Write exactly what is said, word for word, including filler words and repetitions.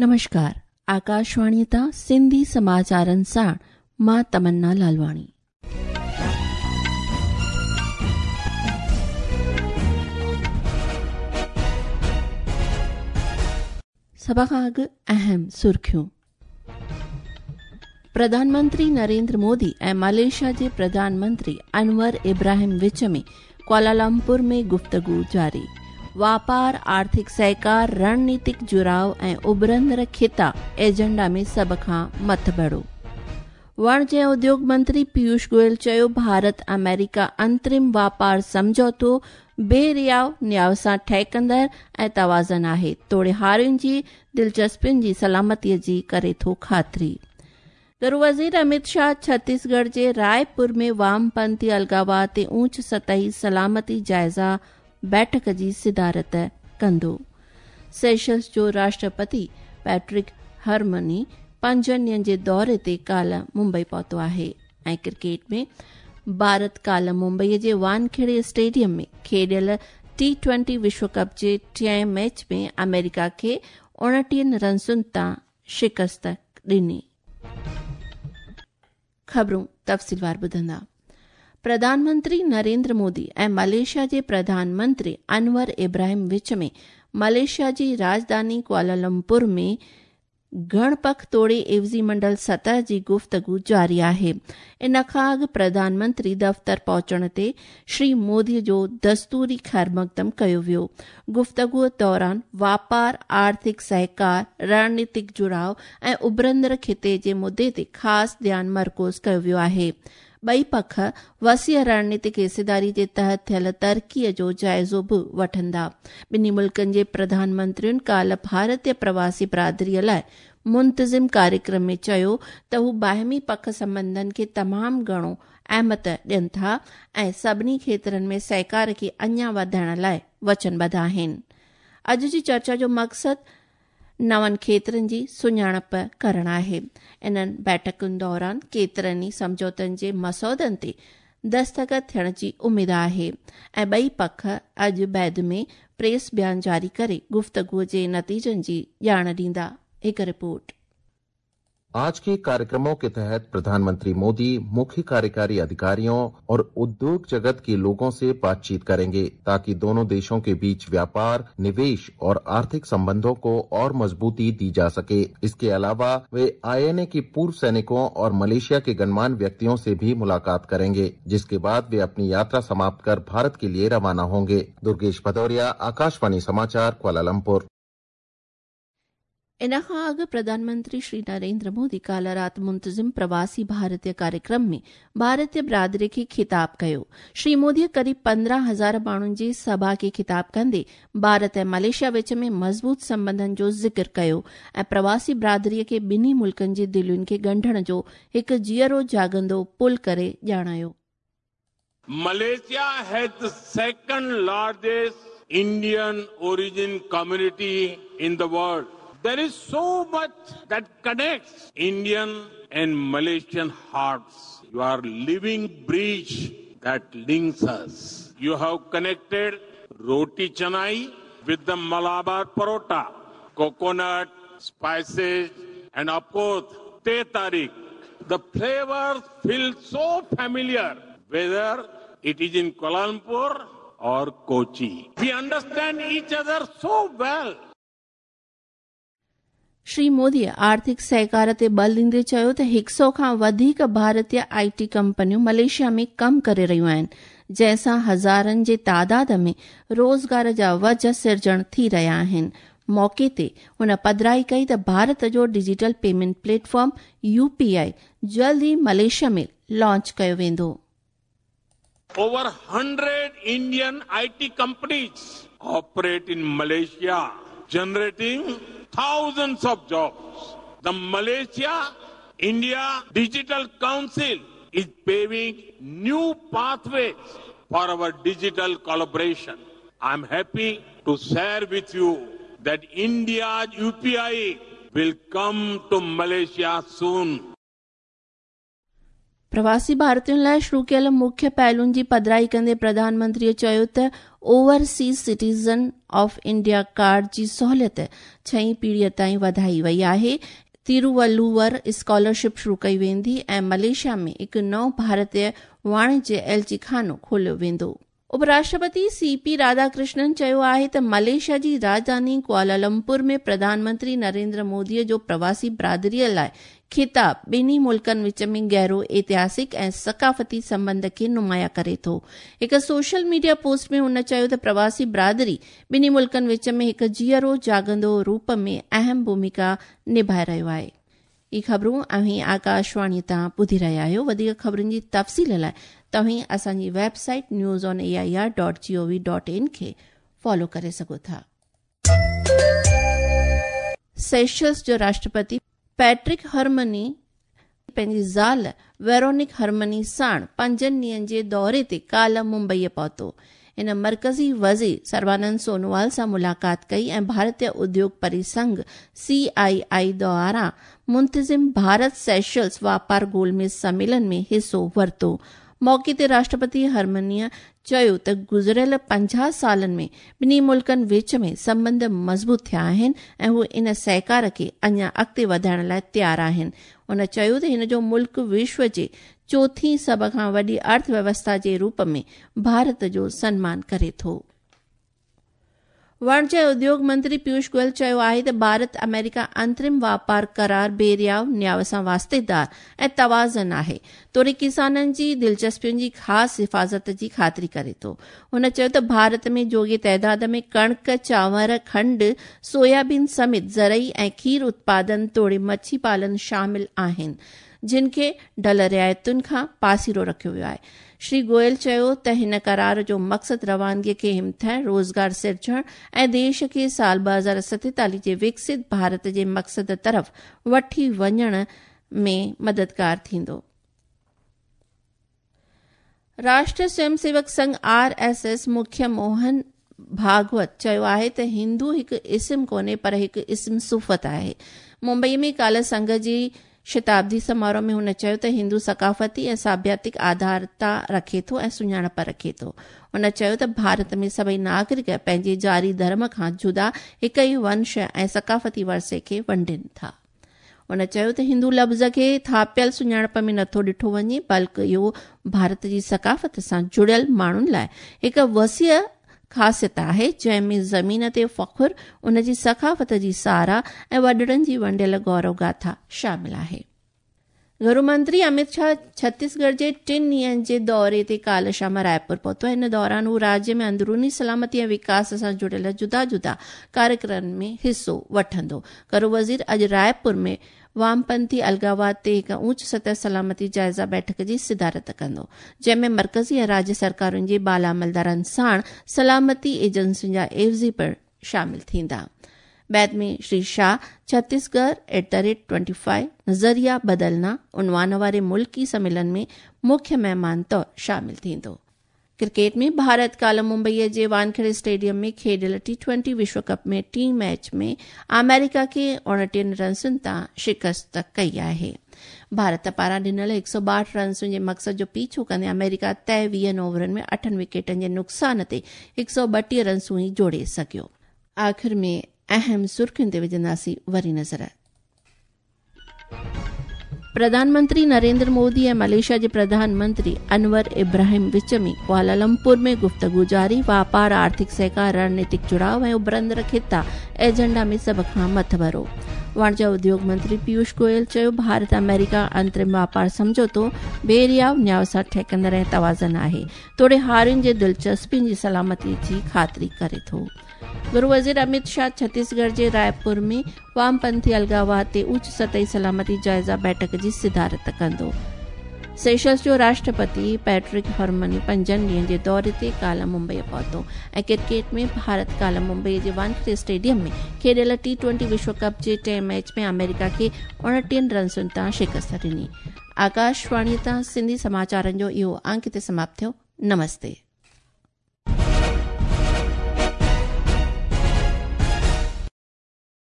नमस्कार, आकाशवाणी तां सिंधी समाचारनि सां मां तमन्ना लालवाणी। सभ खां अॻु अहम सुर्खियूं। प्रधानमंत्री नरेंद्र मोदी ऐं मलेशिया जे प्रधानमंत्री अनवर इब्राहिम विच में कुआलालंपुर में गुफ्तगू जारी। वापार, आर्थिक सहकार, रणनीतिक जुड़ाव ऐं उभरंदड़ खिता एजेंडा में सभ खां मथभरो। वाणिज्य ऐं उद्योग मंत्री पीयूष गोयल चयो, भारत अमेरिका अंतरिम वापार सम्झौतो बेरियाव न्याव सां ठहकंदड़ ऐं तवाज़न आहे, तोड़े हारियुनि जी दिलचस्पियुनि जी सलामतीअ जी करे थो ख़ातिरी। गृह वज़ीर अमित शाह छत्तीसगढ़ जे रायपुर में वामपंथी अलगावाद ते ऊंच सतही सलामती जायज़ा बैठक जी सिदारत कंदो। सेशल्स जो राष्ट्रपति पैट्रिक हरमनी पंजनि ॾींहनि जे दौरे ते काल्ह मुंबई पहुतो आहे। ऐं क्रिकेट में भारत काल्ह मुंबई जे वानखेड़े स्टेडियम में खेॾियल टी ट्वेंटी विश्व कप जे टियें मैच में अमेरिका खे उणिटीहनि रनसुनि तां शिकस्त ॾिनी। ख़बरूं तफ़सीलवार ॿुधंदा। प्रधानमंत्री नरेंद्र मोदी ऐं मलेशिया जे प्रधानमंत्री अनवर इब्राहिम विच में मलेशिया जी राजधानी कुआलालंपुर में घणपख तोड़े एवज़ी मंडल सतह जी गुफ्तगू जारी आहे। इन खां अॻु प्रधानमंत्री दफ़्तर पहुचण ते श्री मोदी जो दस्तूरी ख़ैर मक़दम कयो वियो। गुफ्तगूअ दौरान वापार, आर्थिक सहकार, रणनीतिक जुड़ाव ऐं उभरंदड़ खिते जे मुद्दे ते ख़ासि ध्यानु मरकूज़ कयो वियो आहे। ॿई पख वसीअ रणनीतिक हिस्सेदारी जे तहत थियल तरक़ीअ जो जाइज़ो बि वठंदा। ॿिन्ही मुल्कनि जे प्रधानमंत्रियुनि काल्ह भारतीय प्रवासी बिरादरीअ लाइ मुंतज़िम कार्यक्रम में चयो त हू बाहिमी पख संबंधनि खे तमामु घणो अहमियत ॾियनि था ऐं सभिनी क्षेत्रनि में सहकार खे अञा वधाइण लाइ वचनबद्ध आहिनि। अॼु जी चर्चा जो मक़सदु नवनि क्षेत्रनि जी सुञाणप करणु आहे। इन्हनि बैठकुनि दौरान केतिरनि ई सम्झौतनि जे मसौदनि ते दस्तख़त थियण जी उमेद आहे ऐं ॿई पख अॼु बैद में प्रेस बयान जारी करे गुफ्तगूअ जे नतीजनि जी ॼाण ॾींदा। हिकु रिपोर्ट। आज के कार्यक्रमों के तहत प्रधानमंत्री मोदी मुख्य कार्यकारी अधिकारियों और उद्योग जगत के लोगों से बातचीत करेंगे ताकि दोनों देशों के बीच व्यापार, निवेश और आर्थिक संबंधों को और मजबूती दी जा सके। इसके अलावा वे आईएनए के पूर्व सैनिकों और मलेशिया के गणमान्य व्यक्तियों से भी मुलाकात करेंगे, जिसके बाद वे अपनी यात्रा समाप्त कर भारत के लिए रवाना होंगे। दुर्गेश भदौरिया, आकाशवाणी समाचार, कुआलालंपुर। इन खां अॻु प्रधानमंत्री श्री नरेंद्र मोदी काल्ह राति मुंतज़िम प्रवासी भारतीय कार्यक्रम में भारतीय बिरादरी खे ख़िताब कयो। श्री मोदीअ क़रीब पंद्रहं हज़ार माण्हुनि जी सभा खे ख़िताब कंदे भारत ऐं मलेशिया विच में मज़बूत संबंधनि जो ज़िक्र कयो ऐं प्रवासी बिरादरीअ खे ॿिन्ही मुल्कनि जी दिलियुनि खे ॻंढण जो हिकु जीअरो जागंदो पुल करे ॼाणायो। Malaysia has the second largest Indian origin community in the world. There is so much that connects Indian and Malaysian hearts. You are living bridge that links us. You have connected roti chanai with the Malabar parota, coconut, spices, and of course, teh tarik. The flavors feel so familiar, whether it is in Kuala Lumpur or Kochi. We understand each other so well. Shri Modi आर्थिक सहकार ते बल ॾींदे चयो त हिकु सौ खां वधीक भारतीय I T कंपनियूं मलेशिया में कमु करे रहियूं आहिनि, जंहिंसां हज़ारनि जे तादाद में रोज़गार जा वज सिरजण थी रहिया आहिनि। मौक़े ते हुन पधराई कई त भारत जो डिजिटल पेमेंट प्लेटफॉर्म यूपीआई जल्द ई मलेशिया में लॉन्च कयो वेंदो। Over hundred Indian I T companies operate in Malaysia, generating thousands of jobs. The Malaysia India Digital Council is paving new pathways for our digital collaboration. I am happy to share with you that India's U P I will come to Malaysia soon. प्रवासी भारतीयुनि लाइ शुरू कयल मुख्य पहलुनि जी पधराई कंदे प्रधानमंत्रीअ चयो त overseas citizen of India card जी सहूलियत छहीं पीढ़ीअ ताईं वधाई वई आहे। तिरुवल्लुवर स्कॉलरशिप शुरू कई वेंदी ऐं मलेशिया में हिकु नओं भारतीय वाणिज्य एलची खानो खोलियो वेंदो। उपराष्ट्रपति सी पी राधाकृष्णन चयो आहे त मलेशिया जी राजधानी कुआलालंपुर में प्रधानमंत्री नरेंद्र मोदीअ जो प्रवासी बरादरीअ लाइ खिताब ॿिन्ही मुल्कनि विच में गहरो ऐतिहासिक ऐं सकाफ़ती संबंध खे नुमायां करे थो। हिकु सोशल मीडिया पोस्ट में हुन चयो त प्रवासी बरादरी ॿिन्ही मुल्कनि विच में हिकु जीअरो जागंदो रूप में अहम भूमिका निभाए रहियो आहे। इहे ख़बरूं अव्हीं आकाशवाणी तां ॿुधी रहिया आहियो। वधीक ख़बरुनि जी तफ़सील लाइ तव्हीं असांजी website news on A I R dot G O V dot in खे फॉलो करे सघो था। सेशल्स जो राष्ट्रपति पैट्रिक हरमनी पंहिंजी ज़ाल वेरोनिक हरमनी साण पंजनि ॾींहंनि जे दौरे ते काल्ह मुंबईअ पहुतो। हिन मर्कज़ी वज़ीर सर्बानंद सोनोवाल सां मुलाक़ात कई ऐं भारतीय उद्योग परिसंघ सी आई आई द्वारा मुंतज़िम भारत सेशल्स वापार गोलमेज़ सम्मेलन में हिसो वरितो। मौक़े ते राष्ट्रपति हरमनीअ चयो त गुज़िरियल पंजाह सालनि में ॿिन्ही मुल्कनि विच में संबंध मज़बूत थिया आहिनि ऐं हू इन सहकार खे अञा अॻिते वधाइण लाइ तयारु आहिनि। हुन चयो त हिन जो मुल्क विश्व जे चोथीं सभ खां वॾी अर्थव्यवस्था जे रूप में भारत जो सन्मान करे थो। वाणिज्य उद्योग मंत्री पीयूष गोयल चयो आहे त भारत अमेरिका अंतरिम वापार करार बेरियाव न्याव सां वास्तेदार ऐं तवाज़न आहे, तोड़े किसाननि जी दिलचस्पियुनि जी ख़ासि हिफ़ाज़त जी ख़ातिरी करे थो। हुन चयो त भारत में जोॻे तइदाद में कणिक, चांवर, खंड, सोयाबीन समेत ज़रई ऐं खीर उत्पादन तोड़े मच्छी पालन शामिल आहिनि, जिन खे ढल रिआयतुनि खां पासिरो रखियो वियो आहे। श्री गोयल चयो त हिन करार जो मक़सदु रवानगीअ खे हिमथाइण, रोज़गार सिरजण ऐं देश खे साल ॿ हज़ार सतेतालीह जे विकसित भारत जे मक़सद तरफ़ वठी वञण में मददगार थींदो। राष्ट्रीय Swayamsevak Sangh R S S मुख्य मोहन भागवत चयो आहे त हिंदू हिकु इस्म कोन्हे पर हिकु इस्म सुफ़त आहे। मुंबई में काल्ह संघ जी शताब्दी समारोह में हुन चयो त हिंदू सकाफ़ती ऐं साभ्यातिक आधारता रखे थो ऐं सुञाणप रखे थो। हुन चयो त भारत में सभई नागरिक पंहिंजे जारी धर्म खां जुदा हिकु ई वंश ऐं सकाफ़ती वरसे खे वंडनि था। हुन चयो त हिंदू लफ़्ज़ खे थापियल सुञाणप में नथो ॾिठो वञे, बल्कि इहो भारत जी सकाफ़त सां जुड़ियल माण्हुनि लाइ हिकु वसीअ ख़ासियत आहे, जंहिं में ज़मीन ते फ़ख्र, उन जी सकाफ़त जी साराह ऐं वॾड़नि जी वंडियल गौरव गाथा शामिल आहे। घरू मंत्री अमित शाह छत्तीसगढ़ जे टिनि ॾींहंनि जे दौरे ते काल्ह शाम रायपुर पहुतो। हिन दौरान हू राज्य में अंदरूनी सलामती ऐं विकास सां जुड़ियल जुदा जुदा कार्यक्रमनि में हिसो वठंदो। घरू वज़ीर अॼु रायपुर में वामपंथी अलगावाद ते हिकु ऊंच सतह सलामती जाइज़ा बैठक जी सिदारत कंदो, जंहिंमें मर्कज़ी ऐं राज्य सरकारुनि जे बाला अमलदारनि साण सलामती एजेंसियुनि जा एवज़ी पिणु शामिल थींदा। बाद में Shri Shah Chhattisgarh at the rate twenty five नज़रिया बदलना उन्वान वारे मुल्की सम्मेलन में मुख्य महिमान तौर शामिल थींदो। क्रिकेट में भारत काल्ह मुंबईअ जे वानखेड़े स्टेडियम में खेॾियल टी ट्वेंटी विश्व कप में टीं मैच में अमेरिका खे उणिटीहनि रन्सुनि तां शिकस्त कई आहे। भारत पारां ॾिनल हिकु सौ ॿाहठि रन्सुनि जे मक़सद जो पीछो कंदे अमेरिका तय वीहनि ओवरनि में अठनि विकेटनि जे नुक़सान ते हिकु सौ ॿटीह रन्सूं ई जोड़े सघियो। आख़िर में अहम सुर्खियुनि ते विझंदासीं वरी नज़र। प्रधानमंत्री नरेंद्र मोदी ऐं मलेशिया जे प्रधानमंत्री अनवर इब्राहिम विच में कुआलालंपुर में गुफ़्तगू जारी। वापार, आर्थिक सहकार, रणनीतिक जुड़ाव ऐं उभरंदड़ ख़िता एजेंडा में सभ खां मथभरो। वाणिज्य उद्योग मंत्री पीयूष गोयल चयो, भारत अमेरिका अंतरिम वापार सम्झौतो बेरियाव न्याव सां ठहकंदड़ ऐं तवाज़न आहे, तोड़े हारियुनि जे दिलचस्पियुनि जी सलामती जी ख़ातिरी करे थो। गृह वज़ीर अमित शाह छत्तीसगढ़ जे रायपुर में वामपंथी अलगावाद ते उच्च सतही सलामती जाइज़ा बैठक जी सिदारत कंदो। सेशल्स जो राष्ट्रपति पैट्रिक हरमनी पंजनि ॾींहंनि जे दौरे ते काल्ह मुंबई पहुतो। ऐं क्रिकेट में भारत काल्ह मुंबई जे वानखेड़े स्टेडियम में खेॾियल टी ट्वेंटी विश्व कप जे टे मैच में अमेरिका खे उणिटीहनि रन्सुनि तां शिकस्त ॾिनी। आकाशवाणी तां सिंधी समाचारनि जो इहो अंक हिते समाप्त थियो। नमस्ते।